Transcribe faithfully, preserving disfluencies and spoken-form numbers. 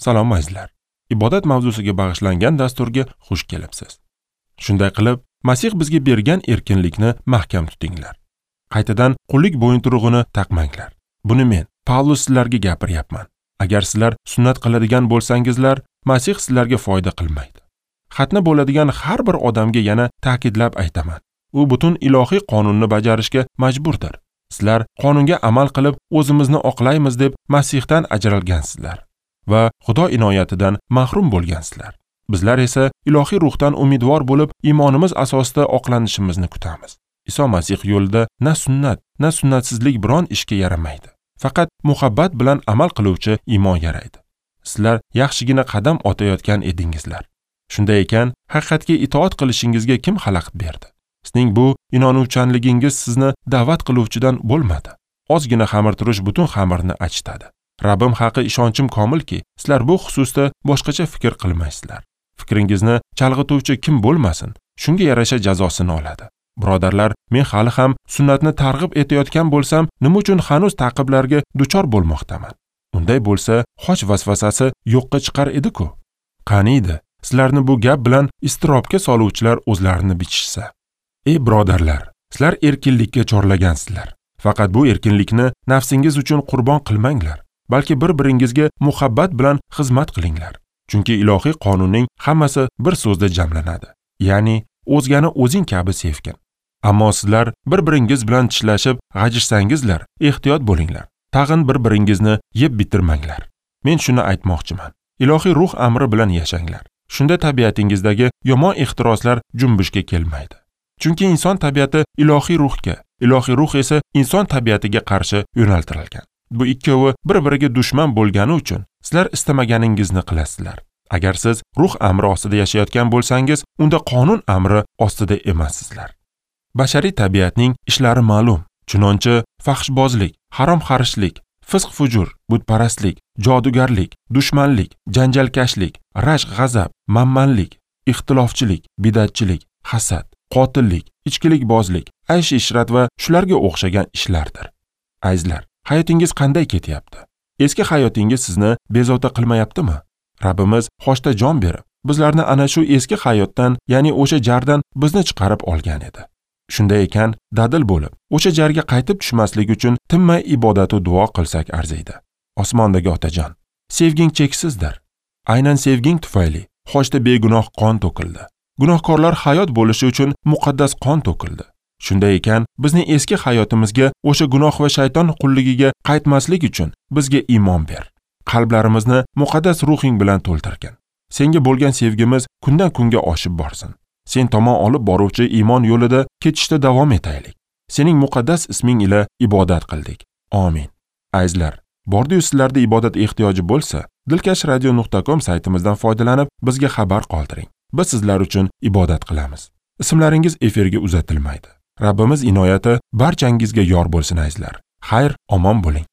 Salom azizlar. Ibodat mavzusiga bag'ishlangan dasturga xush kelibsiz. Shunday qilib, Masih bizga bergan erkinlikni mahkam tutinglar. Qaytadan qullik bo'yinturug'ini taqmanglar. Buni men, Pavlus, sizlarga gapiryapman. Agar sizlar sunnat qiladigan bo'lsangizlar, Masih sizlarga foyda qilmaydi. Xatna bo'ladigan har bir odamga yana ta'kidlab aytaman. U butun ilohiy qonunni bajarishga majburdir. Sizlar qonunga amal qilib o'zimizni oqlaymiz deb Masihdan ajralgansizlar va Xudo inoyatidan mahrum bo'lgansizlar. Bizlar esa ilohiy ruhdan umidvor bo'lib, iymonimiz asosida oqlanishimizni kutamiz. Iso Masih yo'lida na sunnat, na sunnatsizlik biron ishga yaramaydi. Faqat muhabbat bilan amal qiluvchi iymon yaraydi. Sizlar yaxshigina qadam otayotgan edingizlar. Shunday ekan, haqiqatga itoat qilishingizga kim xalaqit berdi? Sizning bu inonuvchanligingiz sizni da'vat qiluvchidan bo'lmadi. Ozgina xamirturush butun xamirni achitadi. Rabbim haqi ishonchim komilki, sizlar bu xususda boshqacha fikr qilmaysizlar. Fikringizni chalg'ituvchi kim bo'lmasin, shunga yarasha jazosini oladi. Birodarlar, men hali ham sunnatni targ'ib etayotgan bo'lsam, nima uchun hanuz ta'qiblarga duchor bo'lmoqdaman? Unday bo'lsa, xoch vasvasasi yo'qqa chiqar edi-ku. Qani edi, sizlarni bu gap bilan iztirobga soluvchilar o'zlarini bichishsa. Ey birodarlar, sizlar erkinlikka chorlagansizlar. Faqat bu erkinlikni nafsingiz uchun qurbon qilmanglar, balki bir-biringizga muhabbat bilan xizmat qilinglar. Chunki ilohiy qonunning hammasi bir so'zda jamlanadi. Ya'ni o'zgani o'zing kabi sevgin. Ammo sizlar bir-biringiz bilan tishlashib g'ajishsangizlar, ehtiyot bo'linglar. Tag'in bir-biringizni yeb bitirmanglar. Men shuni aytmoqchiman. Ilohiy ruh amri bilan yashanglar. Shunda tabiatingizdagi yomon ehtiroslar junbushga kelmaydi. Chunki inson tabiati ilohiy ruhga, ilohiy ruh esa inson tabiatiga qarshi yo'naltirilgan. Bu ikkovi bir-biriga dushman bo'lgani uchun sizlar istamaganingizni qilasizlar. Agar siz ruh amri ostida yashayotgan bo'lsangiz, unda qonun amri ostida emassizlar. Bashariy tabiatning ishlari ma'lum. Chunonchi fahshbozlik, harom xarishlik, fisq-fujur, butparastlik, jodugarlik, dushmanlik, janjalkashlik, rashk g'azab, manmanlik, ixtilofchilik, bidatchilik, hasad, qotillik, ichkilikbozlik, aysh-ishrat va shularga o'xshagan ishlardir. Azizlar, hayotingiz qanday ketyapti? Eski hayotingiz sizni bezovta qilmayaptimi? Rabbimiz xochda jon berib, bizlarni ana shu eski hayotdan, ya'ni o'sha jardan bizni chiqarib olgan edi. Shunday ekan, dadil bo'lib, o'sha jarga qaytib tushmaslik uchun tinmay ibodat va duo qilsak arziydi. Osmondagi Otajon, sevging cheksizdir. Aynan sevging tufayli xochda begunoh qon to'kildi. Gunohkorlar hayot bo'lishi uchun muqaddas qon to'kildi. Shunday ekan, bizning eski hayotimizga, o'sha gunoh va shayton qulligiga qaytmaslik uchun bizga iymon ber. Qalblarimizni muqaddas ruhing bilan to'ldirgin. Senga bo'lgan sevgimiz kundan kunga oshib borsin. Sen tomon olib boruvchi iymon yo'lida ketishda davom etaylik. Sening muqaddas isming ila ibodat qildik. Amin. Azizlar, bordi-yu sizlarda ibodat ehtiyoji bo'lsa, dilkash radio nuqta com saytimizdan foydalanib bizga xabar qoldiring. Biz sizlar uchun ibodat qilamiz. Ismlaringiz efirga uzatilmaydi. Rabbimiz inoyati barchangizga yor bo'lsin azizlar. Xayr, omon bo'ling.